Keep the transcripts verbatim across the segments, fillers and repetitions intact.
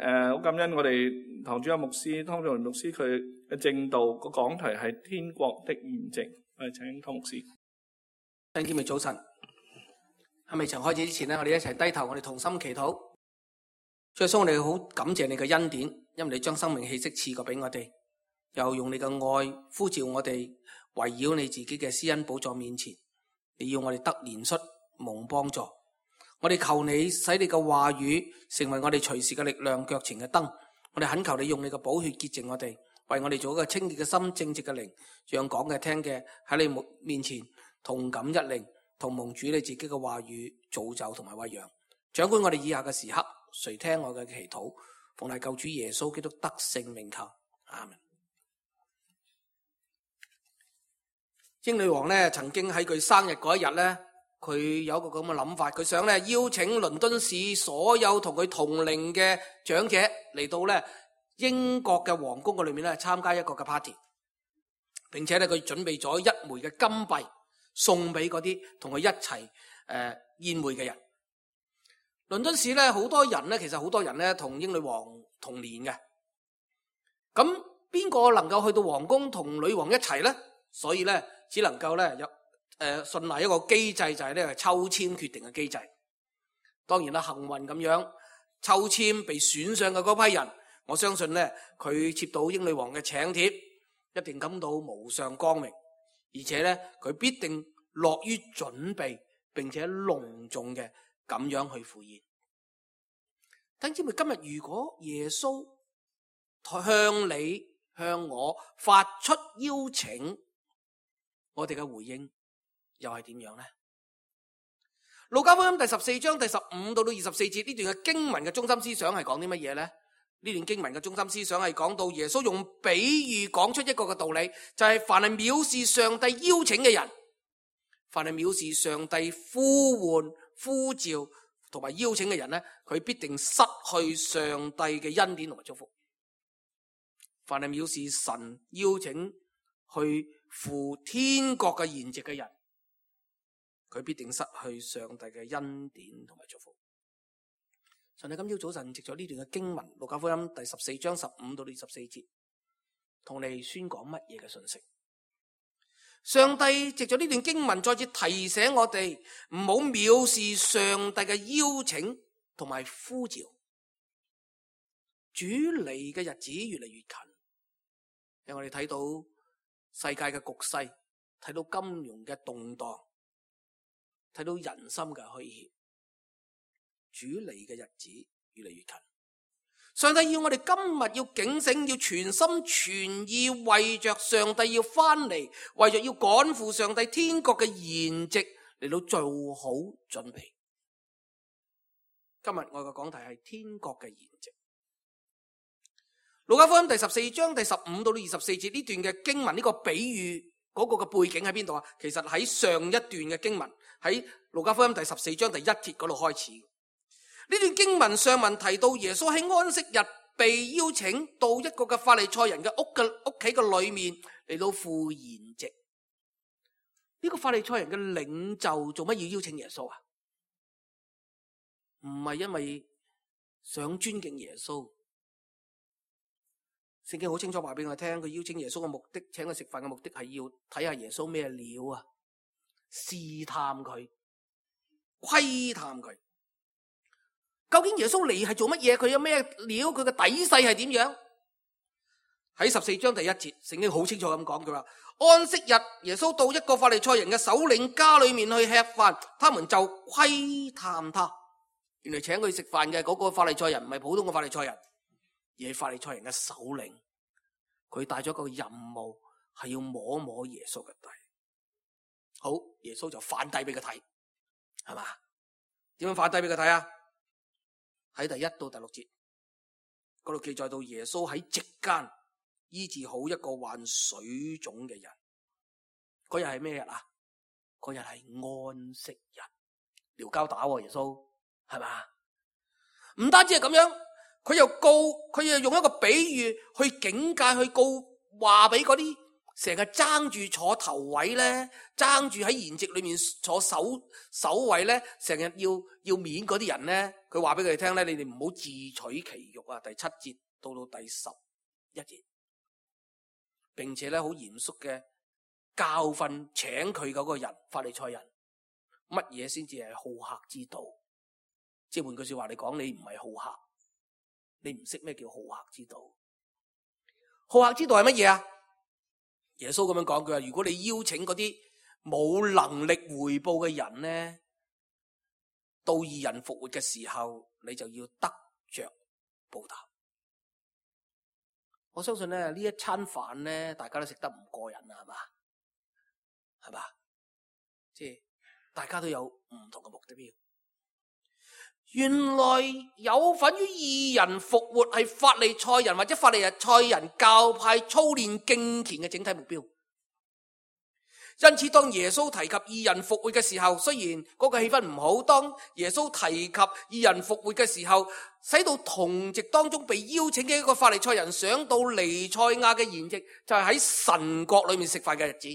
誒，好感恩我哋堂主任牧師湯仲榮牧師，佢嘅證道個講題係天國的筵席。我哋請湯牧師。弟兄姊妹早晨，喺未曾開始之前呢，我哋一齊低頭，我哋同心祈禱。主耶穌，我哋好感謝你嘅恩典，因為你將生命氣息賜過俾我哋，又用你嘅愛呼召我哋圍繞你自己嘅施恩寶座面前，你要我哋得憐恤蒙幫助。我哋求你使你嘅話語成為我哋隨時嘅力量，腳前嘅燈。我哋懇求你用你嘅寶血潔淨我哋，為我哋做一個清潔嘅心，正直嘅靈，讓講嘅聽嘅喺你面前同感一靈，同蒙主你自己嘅話語造就同埋餵養。掌管我哋以下嘅時刻，垂聽我嘅祈禱，奉賴救主耶穌基督得勝名求，阿們。英女王咧曾經喺佢生日嗰一日咧，佢有一個咁嘅諗法，佢想咧邀請倫敦市所有同佢同齡嘅長者嚟到咧英國嘅皇宮嘅裏面咧參加一個嘅 party， 並且咧佢準備咗一枚嘅金幣送俾嗰啲同佢一齊誒、呃、宴會嘅人。倫敦市咧好多人咧，其實好多人咧同英女王同年嘅，咁邊個能夠去到皇宮同女王一齊咧？所以咧只能夠咧有誒信賴一個機制，就係呢個抽籤決定嘅機制。當然啦，幸運咁樣抽籤被選上嘅嗰批人，我相信咧佢接到英女王嘅請帖，一定感到無上光榮，而且咧佢必定樂於準備並且隆重嘅咁樣去赴宴。弟兄姊妹，今日如果耶穌向你向我發出邀請，我哋嘅回應又係點樣呢？路加福音第十四章第十五到到二十四節呢段嘅經文嘅中心思想係講啲乜嘢呢？呢段經文嘅中心思想係講到耶穌用比喻講出一個嘅道理，就係凡係藐視上帝邀請嘅人，凡係藐視上帝呼喚呼召同埋邀請嘅人呢，佢必定失去上帝嘅恩典同埋祝福。凡係藐視神邀請去赴天國嘅筵席嘅人，佢必定失去上帝嘅恩典同埋祝福。上帝今朝早晨藉咗呢段嘅經文，路加福音第十四章十五到二十四節，同你宣講乜嘢嘅信息？上帝藉咗呢段經文再次提醒我哋唔好藐視上帝嘅邀請同埋呼召。主嚟嘅日子越嚟越近，因為我哋睇到世界嘅局勢，睇到金融嘅動盪，睇到人心嘅虛怯，主嚟嘅日子越嚟越近。上帝要我哋今日要警醒，要全心全意為着上帝要翻嚟，為着要趕赴上帝天國嘅筵席嚟到做好準備。今日我嘅講題係天國嘅筵席。路加福音第十四章第十五到二十四節呢段嘅經文，呢個比喻嗰個嘅背景喺邊度啊？其實喺上一段嘅經文，喺路加福音第十四章第一節嗰度開始。呢段經文上文提到耶穌喺安息日被邀請到一個嘅法利賽人嘅屋嘅屋企嘅裏面嚟到赴筵席。呢個法利賽人嘅領袖做乜要邀請耶穌啊？唔係因為想尊敬耶穌。聖經好清楚話俾我聽，佢邀請耶穌嘅目的，請佢食飯嘅目的係要睇下耶穌咩料啊，試探佢，窺探佢。究竟耶穌嚟係做乜嘢？佢有咩料？佢嘅底細係點樣？喺十四章第一節，聖經好清楚咁講，佢話安息日耶穌到一個法利賽人嘅首領家裏面去吃飯，他們就窺探他。原來請佢食飯嘅嗰個法利賽人唔係普通嘅法利賽人，而係法利賽人嘅首領。佢帶咗個任務，係要摸摸耶穌嘅底。好，耶穌就反低俾佢睇，係嘛？點樣反低俾佢睇啊？喺第一到第六節嗰度記載到耶穌喺席間醫治好一個患水腫嘅人。嗰日係咩日啊？嗰日係安息日，撩交打喎，耶穌係嘛？唔單止係咁樣，佢又告，佢又用一個比喻去警戒，去告話俾嗰啲成日爭住坐頭位咧，爭住喺筵席裏面坐首首位咧，成日要要面嗰啲人咧，佢話俾佢哋聽咧，你哋唔好自取其辱啊！第七節到到第十一節，並且咧好嚴肅嘅教訓請佢嗰個人法利賽人，乜嘢先至係好客之道？即係換句說話嚟講，你唔係好客，你唔識咩叫好客之道？好客之道係乜嘢啊？耶穌咁樣講，佢話如果你邀請嗰啲冇能力回報嘅人咧，到義人復活嘅時候，你就要得着報答。我相信咧呢一餐飯咧，大家都食得唔過癮啊，係嘛？係嘛？即係大家都有唔同嘅目的標。原來有份於義人復活係法利賽人或者法利賽人教派操練敬虔嘅整體目標。因此當耶穌提及義人復活嘅時候，雖然嗰個氣氛唔好，當耶穌提及義人復活嘅時候，使到同席當中被邀請嘅一個法利賽人想到彌賽亞嘅筵席，就係喺神國裏面食飯嘅日子。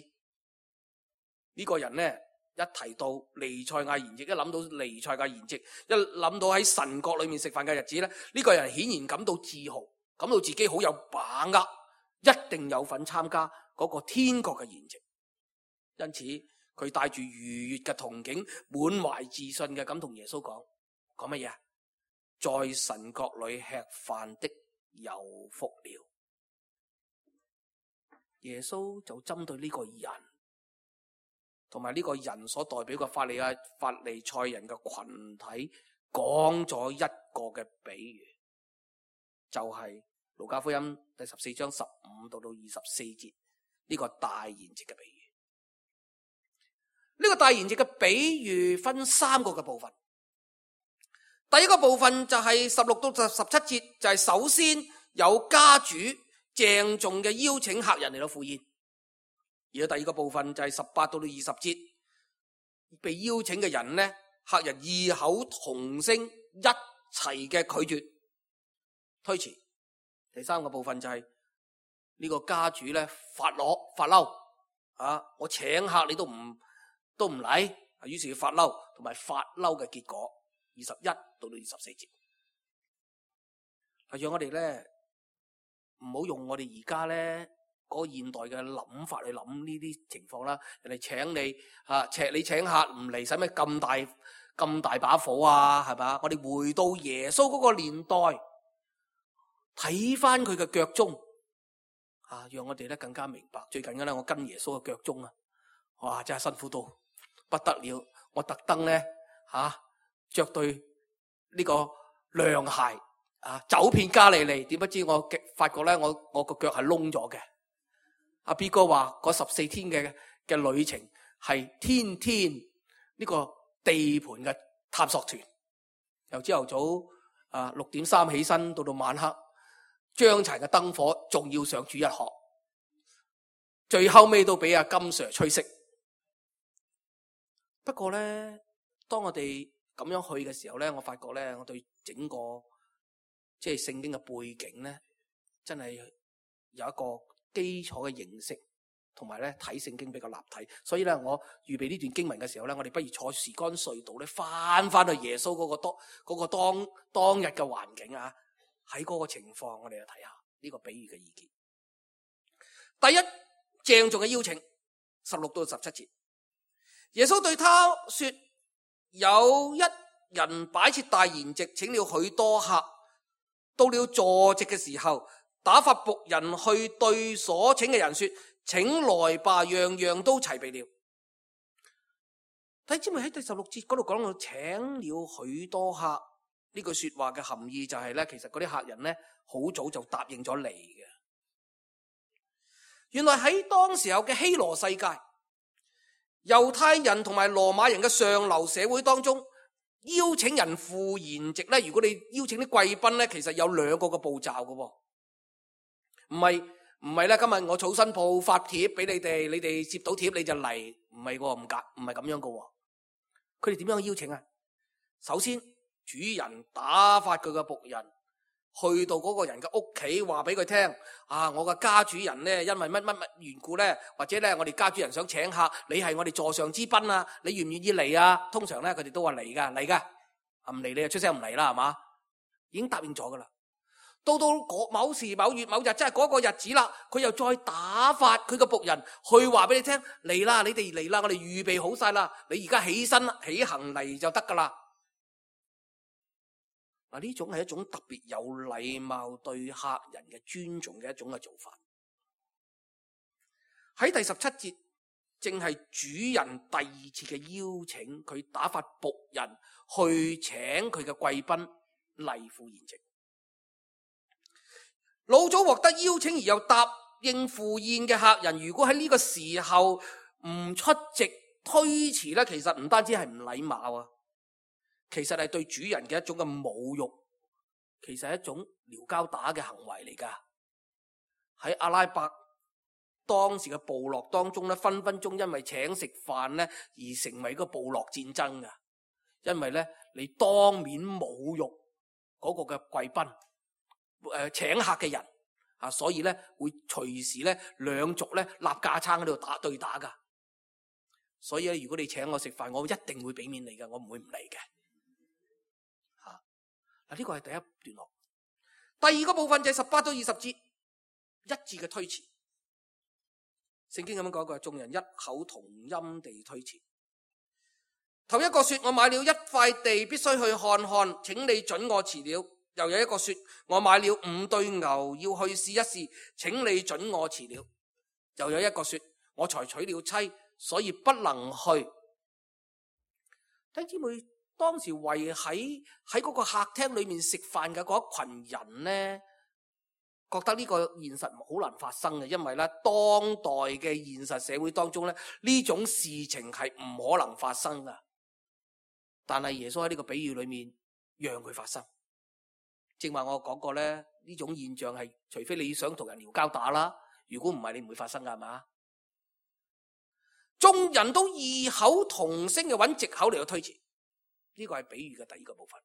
呢、這個人呢，一提到彌賽亞筵席，一諗到彌賽亞筵席，一諗到喺神國裏面食飯嘅日子咧，呢、這個人顯然感到自豪，感到自己好有把握，一定有份參加嗰個天國嘅筵席。因此佢帶住愉悅嘅憧憬，滿懷自信嘅咁同耶穌講，講乜嘢啊？在神國裏吃飯的有福了。耶穌就針對呢個人同埋呢個人所代表嘅法利亞法利賽人嘅群體講咗一個嘅比喻，就係路加福音第十四章十五到到二十四節呢個大筵席嘅比喻。呢個大筵席嘅比喻分三個嘅部分。第一個部分就係十六到十七節，就係首先有家主鄭重嘅邀請客人嚟到赴宴。而第二個部分就係十八到到二十節，被邀請嘅人呢，客人異口同聲一齊嘅拒絕推辭。第三個部分就係呢個家主咧發攞發嬲啊！我請客你都唔都唔嚟，於是要發嬲，同埋發嬲嘅結果，二十一到到二十四節，係讓我哋咧唔好用我哋而家咧嗰個現代嘅諗法去諗呢啲情況啦。人哋請你啊，請你請客唔嚟，使咩咁大咁大把火啊？係咪？我哋回到耶穌嗰個年代，睇翻佢嘅腳蹤啊，讓我哋咧更加明白。最近嘅咧，我跟耶穌嘅腳蹤啊，哇，真係辛苦到不得了！我特登咧吓着對呢個涼鞋啊，走遍加利利，點不知我發覺咧，我我個腳係窿咗嘅。阿 B 哥話嗰十四天嘅嘅旅程係天天呢個地盤嘅探索團，由朝頭早啊六點三起身，到到晚黑將柴嘅燈火，仲要上主日學，最後尾都俾阿金 Sir 吹熄。不過咧，當我哋咁樣去嘅時候咧，我發覺咧，我對整個即係聖經嘅背景咧，真係有一個基礎嘅認識，同埋咧睇聖經比較立體。所以咧，我預備呢段經文嘅時候咧，我哋不如坐時光隧道咧，翻翻去耶穌嗰個當嗰個當當日嘅環境啊，喺嗰個情況，我哋就睇下呢個比喻嘅意見。第一，鄭重嘅邀請，十六到十七節。耶穌對他說，有一人擺設大筵席，請了許多客，到了坐席嘅時候，打發僕人去對所請嘅人說，請來吧，樣樣都齊備了。睇知咪喺第十六節嗰度講到請了許多客呢句說話嘅含義就係咧，其實嗰啲客人咧好早就答應咗嚟嘅。原來喺當時候嘅希羅世界，猶太人同埋羅馬人嘅上流社會當中，邀請人赴筵席咧，如果你邀請啲貴賓咧，其實有兩個嘅步驟嘅，唔係唔係咧。今日我草新報發帖俾你哋，你哋接到帖你就嚟，唔係個唔夾，唔係咁樣嘅。佢哋點樣邀請啊？首先，主人打發佢嘅僕人去到嗰個人嘅屋企，話俾佢聽啊，我嘅家主人咧，因為乜乜乜緣故咧，或者咧我哋家主人想請客，你係我哋座上之賓啊，你願唔願意嚟啊？通常咧佢哋都話嚟噶，嚟噶，唔嚟你就出聲唔嚟啦，係嘛？已經答應咗噶啦。到到某時某月某日，即係嗰個日子啦，佢又再打發佢個僕人去話俾你聽，嚟啦，你哋嚟啦，我哋預備好晒啦，你而家起身起行嚟就得噶啦。嗱，呢種係一種特別有禮貌對客人嘅尊重嘅一種嘅做法。喺第十七節，正係主人第二次嘅邀請，佢打發僕人去請佢嘅貴賓嚟赴宴席。老早獲得邀請而又答應赴宴嘅客人，如果喺呢個時候唔出席推遲咧，其實唔單止係唔禮貌啊，其實係對主人嘅一種嘅侮辱，其實係一種撩交打嘅行為嚟噶。喺阿拉伯當時嘅部落當中咧，分分鐘因為請食飯咧而成為一個部落戰爭噶，因為咧你當面侮辱嗰個嘅貴賓。誒、呃，請客嘅人啊，所以咧會隨時咧兩族咧立架撐喺度打對打噶。所以咧，如果你請我食飯，我一定會俾面你嘅，我唔會唔嚟嘅。吓、啊，嗱、這、呢個係第一段落。第二個部分就係十八到二十節一致嘅推辭。聖經咁樣講過，眾人一口同音地推辭。頭一個說：我買了一塊地，必須去看看，請你准我辭了。又有一個說：我買了五對牛，要去試一試，請你准我辭了。又有一個說：我才娶了妻，所以不能去。弟兄姊妹，當時圍喺喺嗰個客廳裏面食飯嘅嗰一群人呢，覺得呢個現實好難發生嘅，因為咧當代嘅現實社會當中咧，呢種事情係唔可能發生噶。但係耶穌喺呢個比喻裏面讓佢發生。正話我講過咧，呢種現象係除非你想同人撩交打啦，如果唔係你唔會發生噶，係嘛？眾人都異口同聲嘅揾藉口嚟到推辭，呢個係比喻嘅第二個部分。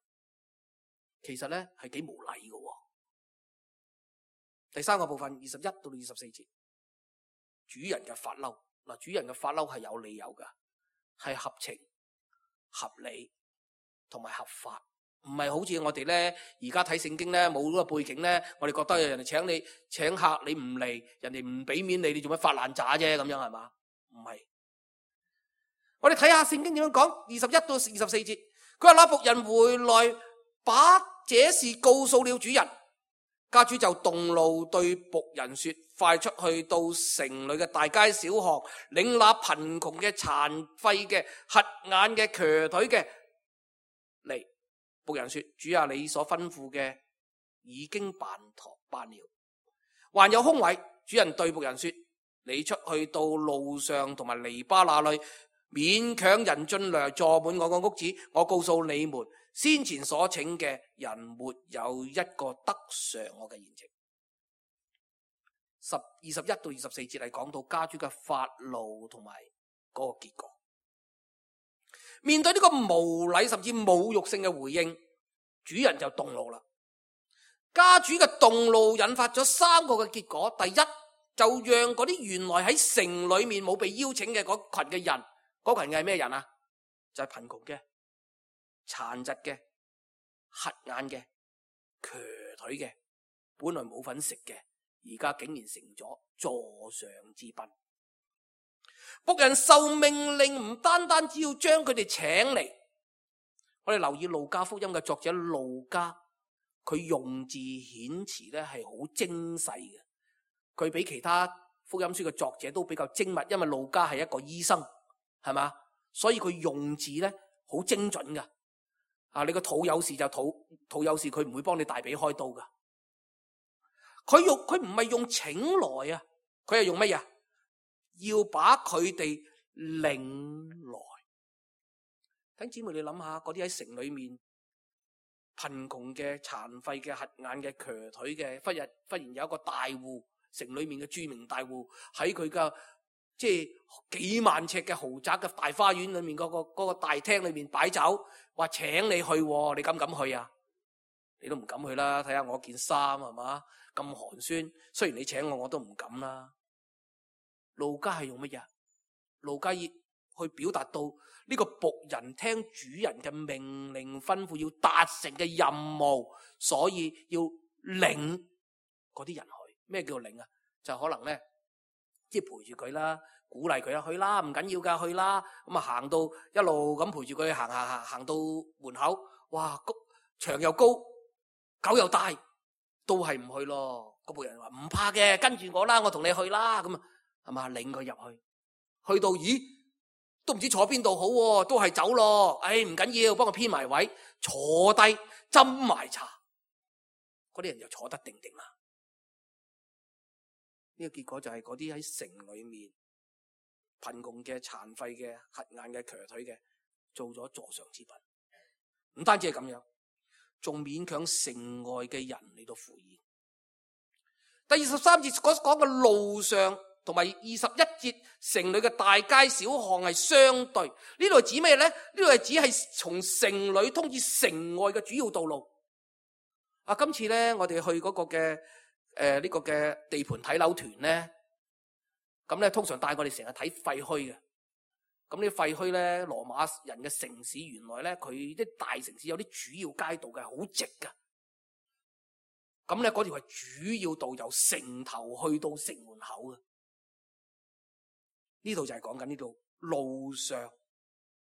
其實咧係幾無禮嘅。第三個部分二十一到二十四節，主人嘅發嬲。嗱，主人嘅發嬲係有理由噶，係合情、合理同埋合法。唔係好似我哋咧，而家睇聖經咧，冇嗰個背景咧，我哋覺得有人哋請你請客，你唔嚟，人哋唔俾面你，你做乜發爛渣啫？咁樣係嘛？唔係。我哋睇下聖經點樣講，二十一到二十四節，佢話那僕人回來，把這事告訴了主人，家主就動怒對僕人說：快出去到城裏嘅大街小巷，領那貧窮嘅、殘廢嘅、瞎眼嘅、瘸腿嘅嚟。僕人說：主啊，你所吩咐嘅已經辦妥辦了，還有空位。主人對僕人說：你出去到路上同埋籬笆那裏，勉強人進來坐滿我個屋子。我告訴你們，先前所請嘅人沒有一個得嘗我嘅宴席。十二十一到二十四節係講到家主嘅發怒同埋嗰個結果。面對呢個無禮甚至侮辱性嘅回應，主人就動怒啦。家主嘅動怒引發咗三個嘅結果。第一，就讓嗰啲原來喺城裏面冇被邀請嘅嗰群嘅人，嗰群嘅係咩人啊？就係貧窮嘅、殘疾嘅、瞎眼嘅、瘸腿嘅，本來冇份食嘅，而家竟然成咗座上之賓。僕人受命令唔單單只要將佢哋請嚟。我哋留意路加福音嘅作者路加，佢用字遣詞咧係好精細嘅，佢比其他福音書嘅作者都比較精密，因為路加係一個醫生，係嘛，所以佢用字咧好精準噶。啊，你個肚有事就肚肚有事，佢唔會幫你大髀開刀噶。佢用佢唔係用請來啊，佢係用乜嘢？要把佢哋領來。弟兄姊妹，你諗下，嗰啲喺城裏面貧窮嘅、殘廢嘅、瞎眼嘅、瘸腿嘅，忽然忽然有一個大戶，城裏面嘅著名大戶，喺佢嘅即係幾萬尺嘅豪宅嘅大花園裏面嗰個嗰個大廳裏面擺酒，話請你去，你敢唔敢去啊？你都唔敢去啦。睇下我件衫係嘛，咁寒酸，雖然你請我，我都唔敢啦。路加係用乜嘢？路加要去表達到呢個僕人聽主人嘅命令吩咐要達成嘅任務，所以要領嗰啲人去。咩叫領啊？就可能咧，即係陪住佢啦，鼓勵佢啦，去啦，唔緊要噶，去啦。咁啊行到一路咁陪住佢行行行行到門口，哇，高牆又高，狗又大，都係唔去咯。個僕人話唔怕嘅，跟住我啦，我同你去啦。咁啊，係嘛，領佢入去，去到咦，都唔知坐邊度好喎，都係走咯。唉，唔緊要，幫我編埋位，坐低斟埋茶，嗰啲人就坐得定定啦。呢個結果就係嗰啲喺城裏面貧窮嘅、殘廢嘅、瞎眼嘅、瘸腿嘅，做咗座上之賓。唔單止係咁樣，仲勉強城外嘅人嚟到赴宴。第二十三節所講嘅路上，同埋二十一節城裏嘅大街小巷係相對。呢度係指咩呢？呢度係指係從城裏通至城外嘅主要道路。啊，今次呢，我哋去嗰個嘅誒呢個嘅地盤睇樓團呢，咁咧通常帶我哋成日睇廢墟嘅。咁呢廢墟咧，羅馬人嘅城市原來咧，佢啲大城市有啲主要街道嘅，好直噶。咁咧嗰條係主要道，由城頭去到城門口嘅。呢度就係講緊呢度路上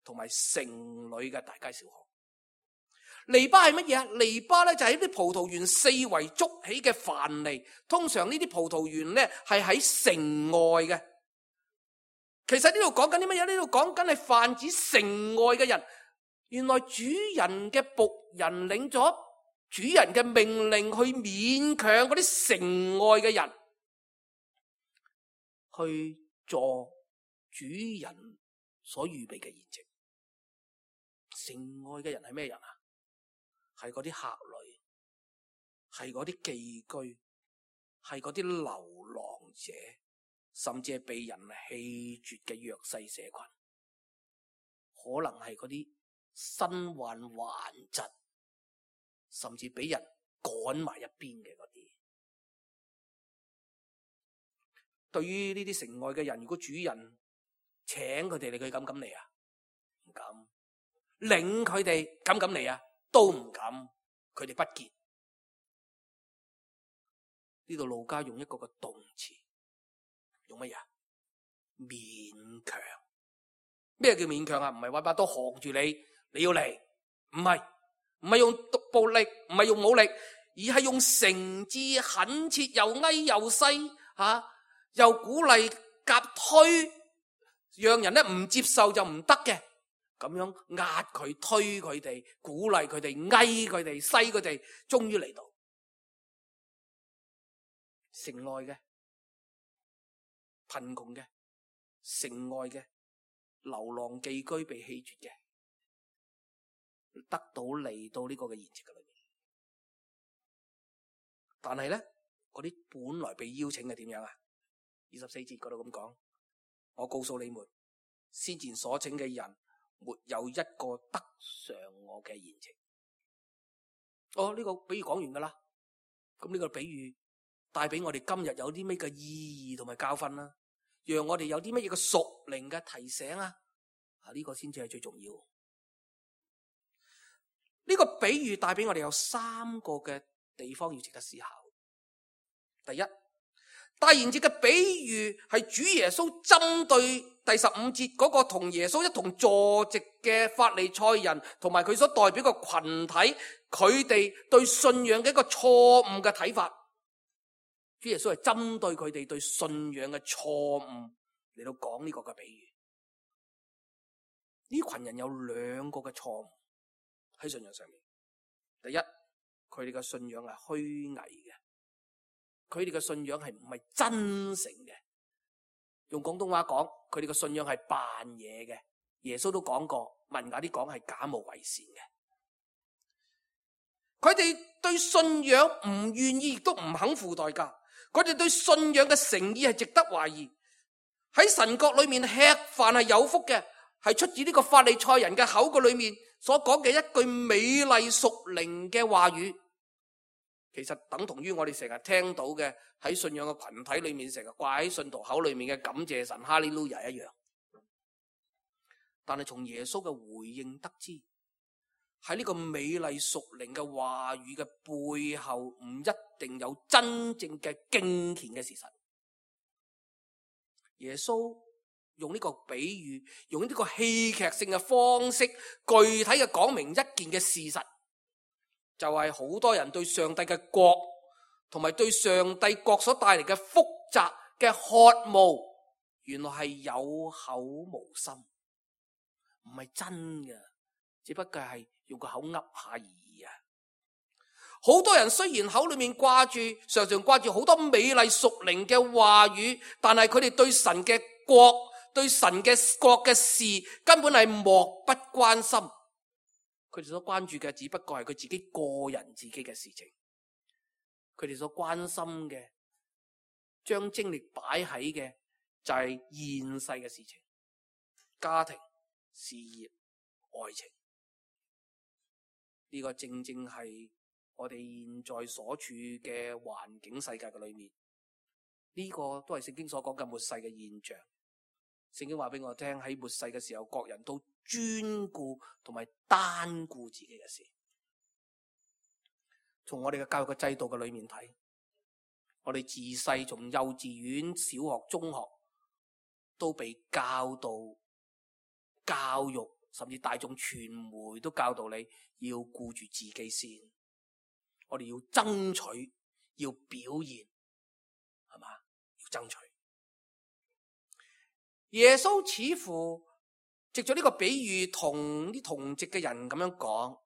同埋城裏嘅大街小巷。籬笆係乜嘢啊？籬笆咧就係啲葡萄園四圍築起嘅藩籬。通常呢啲葡萄園咧係喺城外嘅。其實呢度講緊啲乜嘢？呢度講緊係泛指城外嘅人。原來主人嘅僕人領咗主人嘅命令，去勉強嗰啲城外嘅人去做主人所預備嘅筵席。城外嘅人係咩人啊？係嗰啲客旅，係嗰啲寄居，係嗰啲流浪者，甚至係被人棄絕嘅弱勢社群，可能係嗰啲身患頑疾，甚至俾人趕埋一邊嘅嗰啲。對於呢啲城外嘅人，如果主人請佢哋嚟，佢敢唔敢嚟啊？唔敢。領佢哋敢唔敢嚟啊？都唔敢。佢哋不潔。呢度路加用一個個動詞，用乜嘢？勉強。咩叫勉強啊？唔係話把刀扛住你，你要嚟，唔係，唔係用暴力，唔係用武力，而係用誠摯懇切，又哀又細吓，又鼓勵夾推，讓人咧唔接受就唔得嘅，咁樣壓佢、推佢哋、鼓勵佢哋、哀佢哋、細佢哋，終於嚟到城外嘅貧窮嘅、城外嘅流浪寄居被棄絕嘅，得到嚟到呢個嘅筵席嘅裏面。但係咧，嗰啲本來被邀請嘅點樣啊？二十四節嗰度咁講，我告訴你們，先前所請嘅人沒有一個得上我嘅筵席。哦，呢個比喻講完噶啦。咁呢個比喻帶俾我哋今日有啲咩嘅意義同埋教訓啦，讓我哋有啲乜嘢嘅屬靈嘅提醒啊！啊，呢個先至係最重要。呢個比喻帶俾我哋有三個嘅地方要值得思考。第一，大筵席嘅比喻係主耶穌針對第十五節嗰個同耶穌一同坐席嘅法利賽人同埋佢所代表嘅群體，佢哋對信仰嘅一個錯誤嘅睇法。主耶穌係針對佢哋對信仰嘅錯誤嚟到講呢個嘅比喻。呢群人有兩個嘅錯誤喺信仰上面。第一，佢哋嘅信仰係虛偽嘅，佢哋嘅信仰係唔係真誠嘅。用廣東話講，佢哋嘅信仰係扮嘢嘅。耶穌都講過，文雅啲講係假冒為善嘅。佢哋對信仰唔願意，亦都唔肯付代價。佢哋對信仰嘅誠意係值得懷疑。喺神國裏面吃飯係有福嘅，係出自呢個法利賽人嘅口嘅裏面所講嘅一句美麗屬靈嘅話語。其實等同於我哋成日聽到嘅喺信仰嘅群體裏面成日掛喺信徒口裏面嘅感謝神哈利路亞一樣。但係從耶穌嘅回應得知，喺呢個美麗屬靈嘅話語嘅背後，唔一定有真正嘅敬虔嘅事實。耶穌用呢個比喻，用呢個戲劇性嘅方式，具體嘅講明一件嘅事實，就係好多人對上帝嘅國同埋對上帝國所帶嚟嘅複雜嘅渴慕，原來係有口無心，唔係真嘅，只不過係用個口噏下而已啊！好多人雖然口裏面掛住，常常掛住好多美麗屬靈嘅話語，但係佢哋對神嘅國、對神嘅國嘅事根本係漠不關心。佢哋所關注嘅只不過係佢自己個人自己嘅事情，佢哋所關心嘅，將精力擺喺嘅就係現世嘅事情，家庭、事業、愛情。呢個正正係我哋現在所處嘅環境世界嘅裏面，呢個都係聖經所講嘅末世嘅現象。聖經話俾我聽，喺末世嘅時候，各人都專顧同埋單顧自己嘅事。從我哋嘅教育嘅制度嘅裏面睇，我哋自細從幼稚園、小學、中學都被教導、教育，甚至大眾傳媒都教導你要顧住自己先。我哋要爭取，要表現，係嘛？要爭取。耶穌似乎藉咗呢個比喻同啲同席嘅人咁樣講，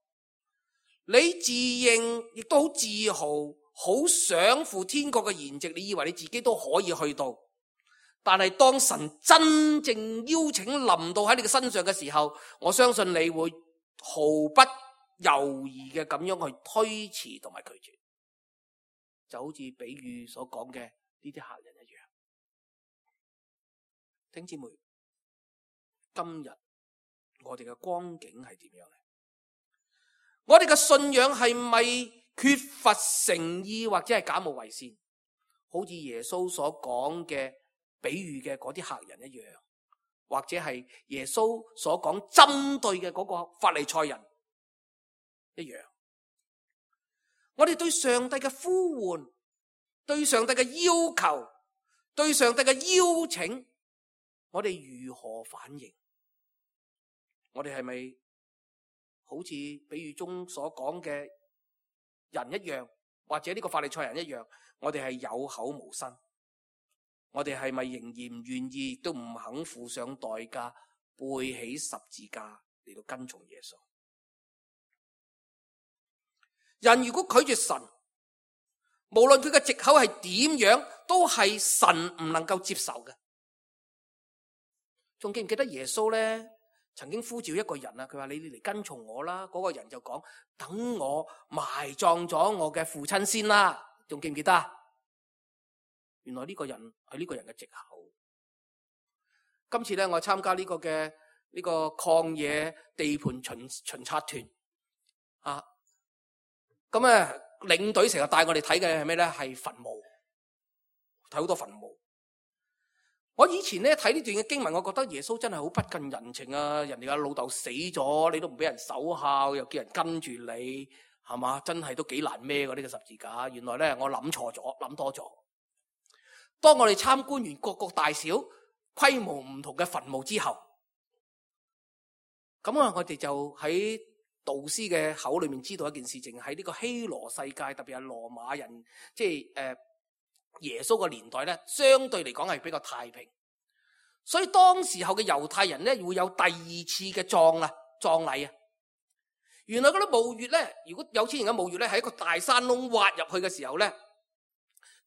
你自認亦都好自豪，好想赴天國嘅筵席，你以為你自己都可以去到，但係當神真正邀請臨到喺你嘅身上嘅時候，我相信你會毫不猶豫嘅咁樣去推辭同埋拒絕，就好似比喻所講嘅呢啲客人一樣。弟兄姊妹，今日我哋嘅光景係點樣呢？我哋嘅信仰係咪缺乏誠意，或者係假冒為善？好似耶穌所講嘅比喻嘅嗰啲客人一樣，或者係耶穌所講針對嘅嗰個法利賽人一樣。我哋對上帝嘅呼喚，對上帝嘅要求，對上帝嘅邀請，我哋如何反應？我哋係咪好似比喻中所講嘅人一樣，或者呢個法利賽人一樣，我哋係有口無心？我哋係咪仍然唔願意，都唔肯付上代價，背起十字架嚟到跟從耶穌？人如果拒絕神，無論佢嘅藉口係點樣，都係神唔能夠接受嘅。仲記唔記得耶穌咧曾經呼召一個人啊？佢話你嚟跟從我啦。嗰個人就講，等我埋葬咗我嘅父親先啦。仲記唔記得啊？原來呢個人係呢個人嘅藉口。今次咧我參加呢個嘅呢個曠野地盤巡巡察團啊，咁咧領隊成日帶我哋睇嘅係咩咧？係墳墓，睇好多墳墓。我以前咧睇呢段嘅經文，我覺得耶穌真係好不近人情啊！人哋嘅老豆死咗，你都唔俾人守孝，又叫人跟住你，係嘛？真係都幾難孭㗎呢個十字架。原來咧我諗錯咗，諗多咗。當我哋參觀完各個大小規模唔同嘅墳墓之後，咁啊我哋就喺導師嘅口裏面知道一件事情，喺呢個希羅世界，特別係羅馬人，即係誒。呃耶穌個年代咧，相對嚟講係比較太平，所以當時候嘅猶太人咧會有第二次嘅葬啊葬禮啊。原來嗰啲墓穴咧，如果有錢人嘅墓穴咧，喺一個大山窿挖入去嘅時候咧，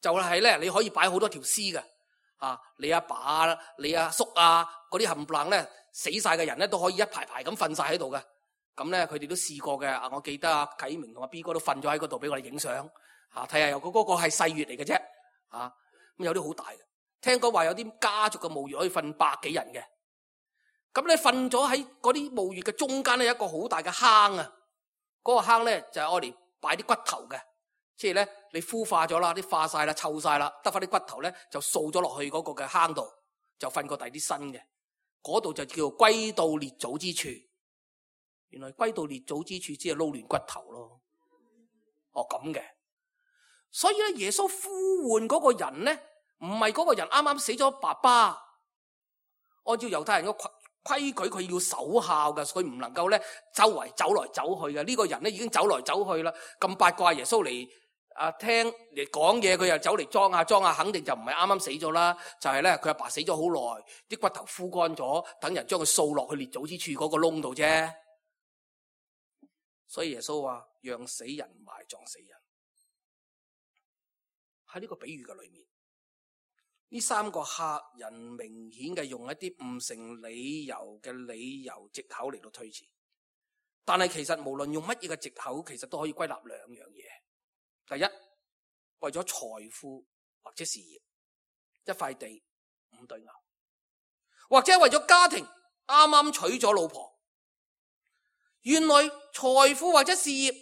就係咧你可以擺好多條屍嘅啊，你阿爸啊、你阿叔啊嗰啲冚唪唥咧死晒嘅人咧都可以一排排咁瞓晒喺度嘅。咁咧佢哋都試過嘅啊，我記得阿啟明同阿 B 哥都瞓咗喺嗰度俾我哋影相吓，睇下有個嗰個係細穴嚟嘅啫。啊，咁有啲好大嘅，聽講話有啲家族嘅墓穴可以瞓百幾人嘅。咁你瞓咗喺嗰啲墓穴嘅中間咧，有一個好大嘅坑啊！嗰、嗰個坑咧就係愛嚟擺啲骨頭嘅，即係咧你孵化咗啦，啲化晒啦，臭晒啦，得翻啲骨頭咧就掃咗落去嗰個嘅坑度，就瞓過第啲新嘅，嗰度就叫做歸到列祖之處。原來歸到列祖之處只係撈亂骨頭咯。哦咁嘅，所以咧耶穌呼喚嗰個人咧，唔係嗰個人啱啱死咗爸爸，按照猶太人嘅規矩，佢要守孝嘅，所以唔能夠咧周圍走來走去嘅。呢個人咧已經走來走去啦，咁八卦耶穌嚟啊聽嚟講嘢，佢又走嚟裝下裝下，肯定就唔係啱啱死咗啦，就係咧佢阿爸死咗好耐，啲骨頭枯乾咗，等人將佢掃落去列祖之處嗰個窿度啫。所以耶穌話讓死人埋葬死人。喺呢個比喻嘅裏面，呢三個客人明顯嘅用一啲唔成理由嘅理由藉口嚟到推辭，但係其實無論用乜嘢嘅藉口，其實都可以歸納兩樣嘢。第一，為咗財富或者事業，一塊地五對牛，或者為咗家庭，啱啱娶咗老婆。原來財富或者事業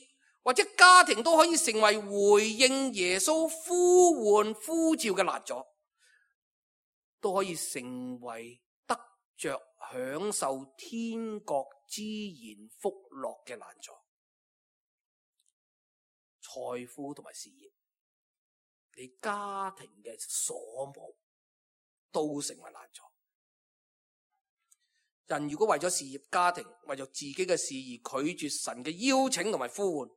或者家庭都可以成為回應耶穌呼喚呼召嘅攔阻，都可以成為得着享受天國之言福樂嘅攔阻。財富同埋事業，你家庭嘅所慕都成為攔阻。人如果為咗事業、家庭，為咗自己嘅事而拒絕神嘅邀請同埋呼喚，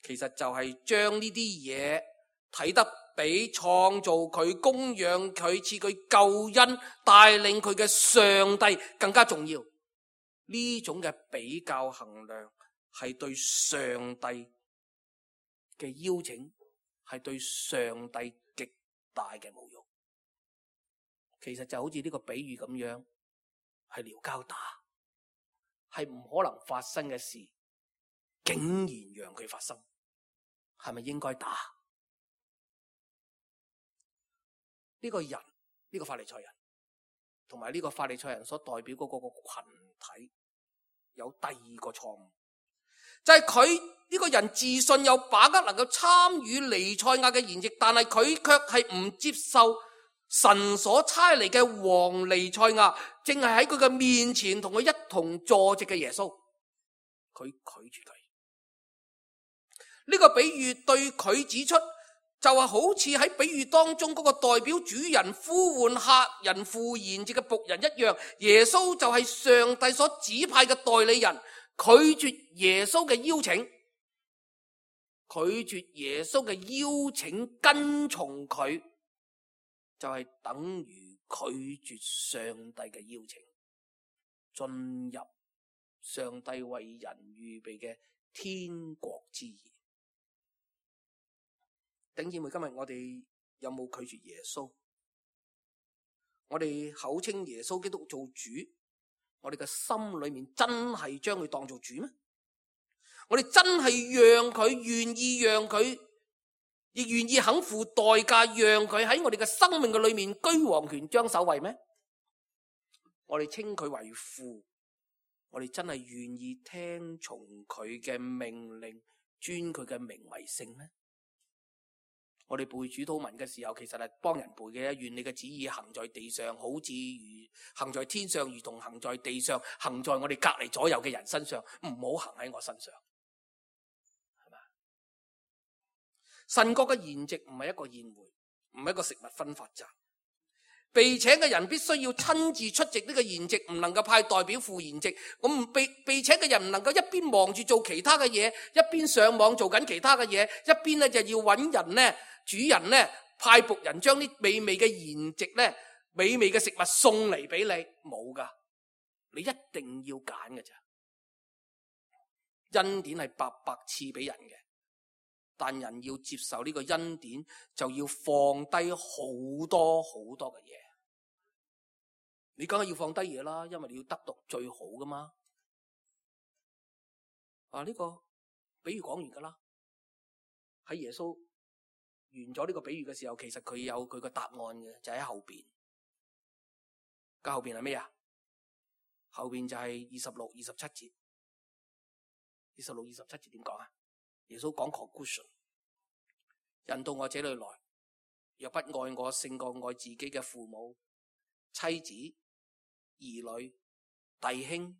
其實就係將呢啲嘢睇得比創造佢、供養佢、賜佢救恩、帶領佢嘅上帝更加重要。呢種嘅比較衡量係對上帝嘅邀請，係對上帝極大嘅侮辱。其實就好似呢個比喻咁樣，係撩交打，係唔可能發生嘅事，竟然讓佢發生，係咪應該打？呢個人，呢個法利賽人，同埋呢個法利賽人所代表嗰個個群體，有第二個錯誤，就係佢呢個人自信有把握能夠參與彌賽亞嘅筵席，但係佢卻係唔接受神所差嚟嘅王彌賽亞，正係喺佢嘅面前同佢一同坐席嘅耶穌，佢拒絕佢。呢、這個比喻對佢指出，就係好似喺比喻當中嗰個代表主人呼喚客人赴筵席嘅僕人一樣，耶穌就係上帝所指派嘅代理人，拒絕耶穌嘅邀請，拒絕耶穌嘅邀請跟從佢，就係等於拒絕上帝嘅邀請，進入上帝為人預備嘅天國之言。弟兄姊妹，今日我哋有冇拒絕耶穌？我哋口稱耶穌基督做主，我哋嘅心裏面真係將佢當做主咩？我哋真係讓佢願意讓佢，亦願意肯付代價，讓佢喺我哋嘅生命嘅裏面居王權將首位咩？我哋稱佢為父，我哋真係願意聽從佢嘅命令，尊佢嘅名為聖咩？我哋背主禱文嘅時候，其實係幫人背嘅，願你嘅旨意行在地上，好似如行在天上，如同行在地上，行在我哋隔離左右嘅人身上，唔好行喺我身上，係嘛？神國嘅筵席唔係一個宴會，唔係一個食物分發站，被請嘅人必須要親自出席呢個筵席，唔能夠派代表赴筵席。我唔被被請嘅人唔能夠一邊忙住做其他嘅嘢，一邊上網做緊其他嘅嘢，一邊咧就要揾人咧。主人咧派僕人將啲美味嘅筵席咧，美味嘅食物送嚟俾你，冇噶，你一定要揀嘅咋。恩典係白白賜俾人嘅，但人要接受呢個恩典，就要放低好多好多嘅嘢。你梗係要放低嘢啦，因為你要得到最好噶嘛。啊，呢個比喻講完噶啦，喺耶穌完咗呢個比喻嘅時候，其實佢有佢個答案嘅，就喺後邊。咁後邊係咩啊？後邊就係二十六、二十七節。二十六、二十七節點講啊？耶穌講 conclusion，人到我這裏來，若不愛我勝過愛自己嘅父母、妻子、兒女、弟兄、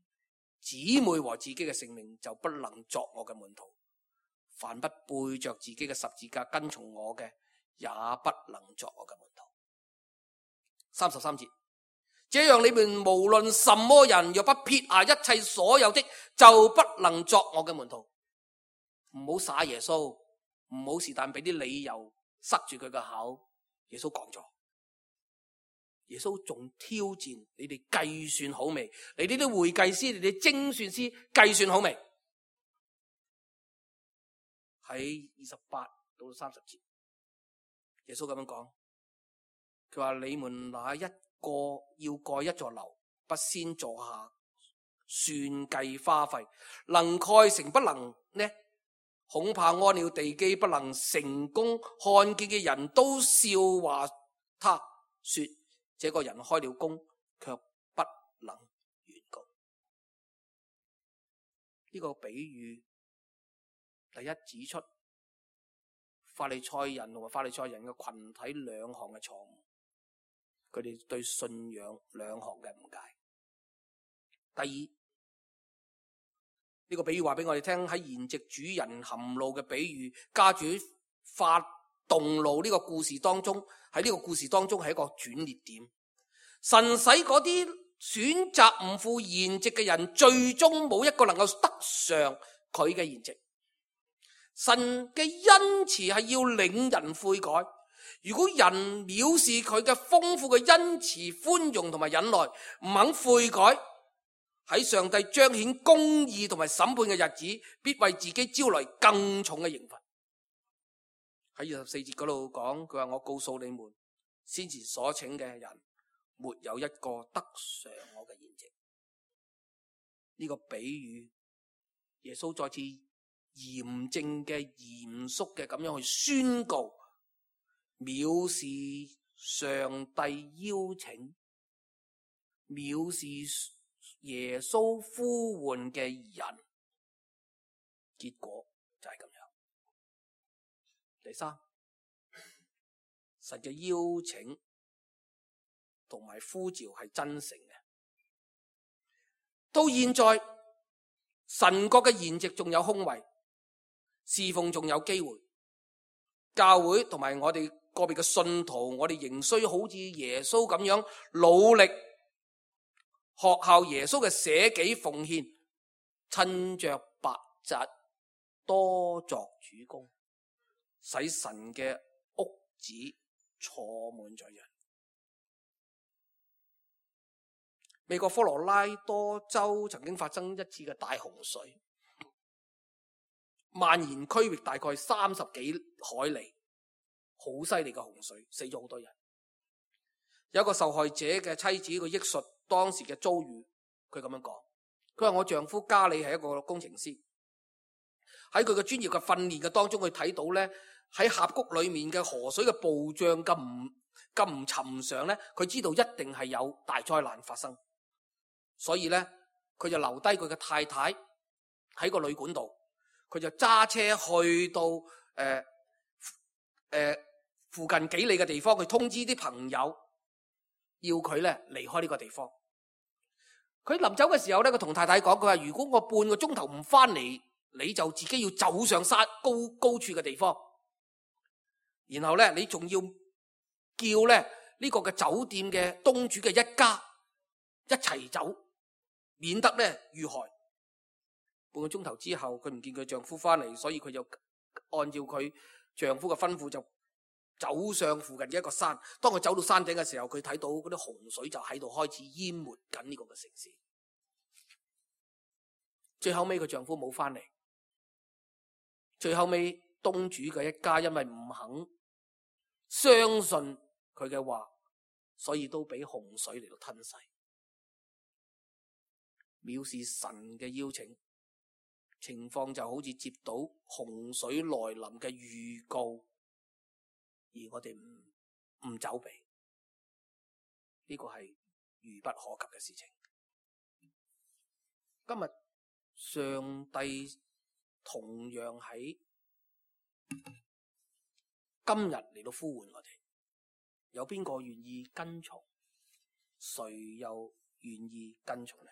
姊妹和自己嘅性命，就不能作我嘅門徒。凡不背着自己嘅十字架跟從我嘅，也不能作我嘅門徒。三十三節，這樣你們無論什麼人，若不撇下一切所有的，就不能作我嘅門徒。唔好耍耶穌，唔好是但俾啲理由塞住佢個口。耶穌講咗，耶穌仲挑戰你哋計算好未？你呢啲會計師，你哋精算師計算好未？喺二十八到三十節，耶穌咁樣講，佢話你們哪一個要蓋一座樓，不先坐下算計花費，能蓋成不能呢？恐怕安了地基不能成功，看見嘅人都笑話他，說這個人開了工，卻不能完工。呢、這個比喻第一指出法利賽人同埋法利賽人嘅群體兩項嘅錯誤，佢哋對信仰兩項嘅誤解。第二，呢個比喻話俾我哋聽，喺筵席主人含怒嘅比喻，家主發動怒呢個故事當中，喺呢個故事當中係一個轉捩點。神使嗰啲選擇唔赴筵席嘅人，最終冇一個能夠得上佢嘅筵席。神嘅恩慈係要領人悔改，如果人藐視佢嘅豐富嘅恩慈、寬容同埋忍耐，唔肯悔改，喺上帝彰顯公義同埋審判嘅日子，必為自己招來更重嘅刑罰。喺二十四節嗰度講，佢話我告訴你們，先前所請嘅人，沒有一個得上我嘅筵席。呢、這個比喻，耶穌再次嚴正嘅、嚴肅嘅咁樣去宣告，藐視上帝邀請，藐視耶穌呼喚嘅人，結果就係咁樣。第三，神嘅邀請同埋呼召係真誠嘅。到現在，神國嘅筵席仲有空位，侍奉仲有機會。教會同埋我哋個別嘅信徒，我哋仍需好似耶穌咁樣努力學效耶穌嘅捨己奉獻，趁着白日多作主工，使神嘅屋子坐滿咗人。美國科羅拉多州曾經發生一次嘅大洪水，蔓延區域大概三十幾海里，好犀利嘅洪水，死咗好多人。有一個受害者嘅妻子，佢憶述當時嘅遭遇，佢咁樣講，佢話我丈夫家里係一個工程師，喺佢嘅專業嘅訓練嘅當中，佢睇到咧喺峽谷裏面嘅河水嘅暴漲咁唔咁唔尋常咧，佢知道一定係有大災難發生，所以咧佢就留低佢嘅太太喺個旅館度，佢就揸車去到誒誒、呃呃、附近幾里嘅地方，去通知啲朋友，要佢咧離開呢個地方。佢臨走嘅時候咧，佢同太太講，佢話如果我半個鐘頭唔翻嚟，你就自己要走上山高高處嘅地方，然後咧你仲要叫咧呢個嘅酒店嘅東主嘅一家一齊走，免得咧遇害。半個鐘頭之後，佢唔見佢丈夫翻嚟，所以佢就按照佢丈夫嘅吩咐就走上附近嘅一個山。當佢走到山頂嘅時候，佢睇到嗰啲洪水就喺度開始淹沒緊呢個嘅城市。最後尾佢丈夫冇翻嚟，最後尾東主嘅一家因為唔肯相信佢嘅話，所以都俾洪水嚟到吞噬。藐視神嘅邀請，情況就好似接到洪水來臨嘅預告，而我哋唔唔走避，呢個係愚不可及嘅事情。今日上帝同樣喺今日嚟到呼喚我哋。有邊個願意跟從？誰又願意跟從呢？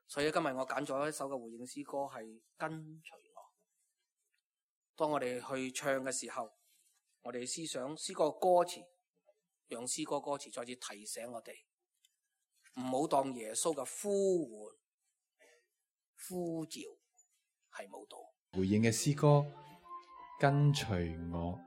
所以今日我揀咗一首嘅回應詩歌，係跟隨我。當我哋去唱嘅時候，我哋思想詩歌嘅歌詞，讓詩歌歌詞再次提醒我哋，唔好當耶穌嘅呼喚呼召係冇道。回應嘅詩歌，跟隨我。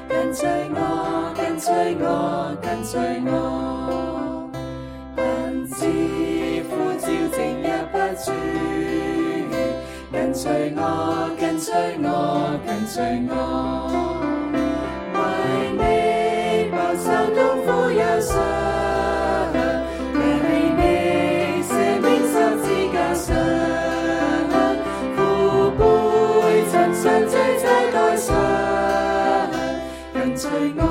跟隨我，跟隨我，跟隨我，恨自呼召靜日不住。跟隨我，跟隨我，跟隨我，為你飽受痛苦憂傷，為你捨命十字架上，父輩親身罪在代償。跟隨我，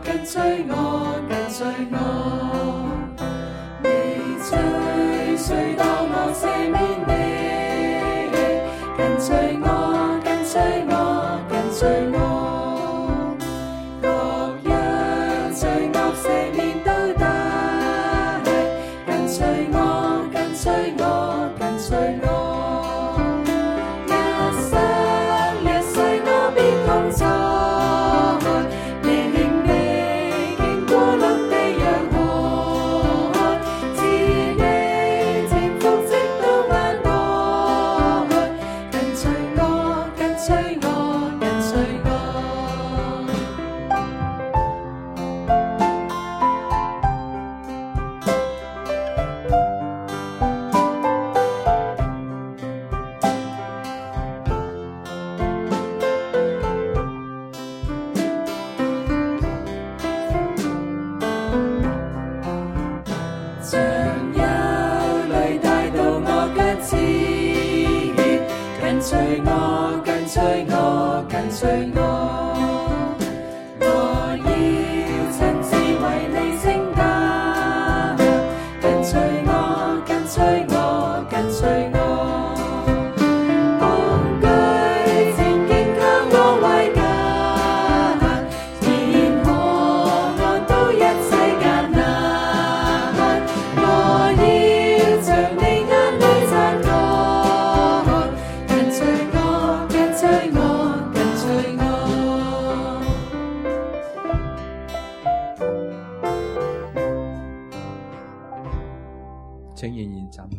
跟隨我，跟隨我，你追隨到我赦免你。跟隨我，跟隨我，跟隨我，各樣罪惡赦免都得。跟隨我，跟隨我，跟隨我，一生一世我必同在。跟隨我，跟隨我，跟隨我，我要親自為你承擔。跟隨我，跟隨我，跟隨我，恐懼戰兢靠我為家，天河岸都一切艱難，我要將你眼淚擦乾。請仍然站立。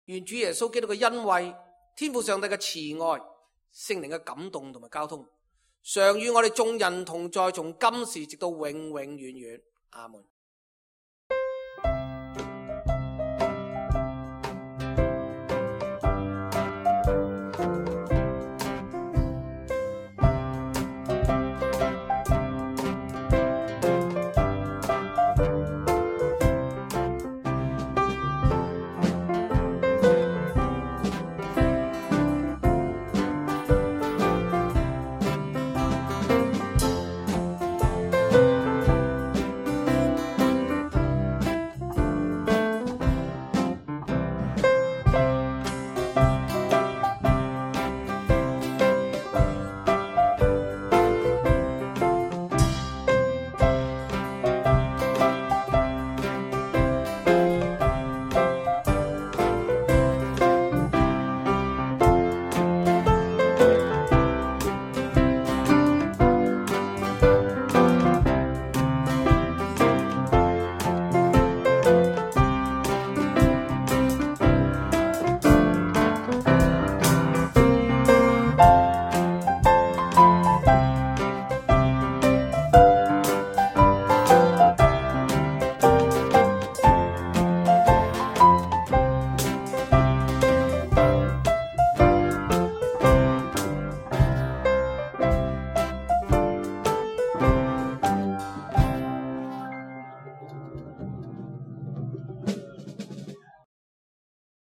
願主耶穌基督嘅恩惠、天父上帝嘅慈愛、聖靈嘅感動同埋交通，常與我哋眾人同在，從今時直到永永遠遠。阿門。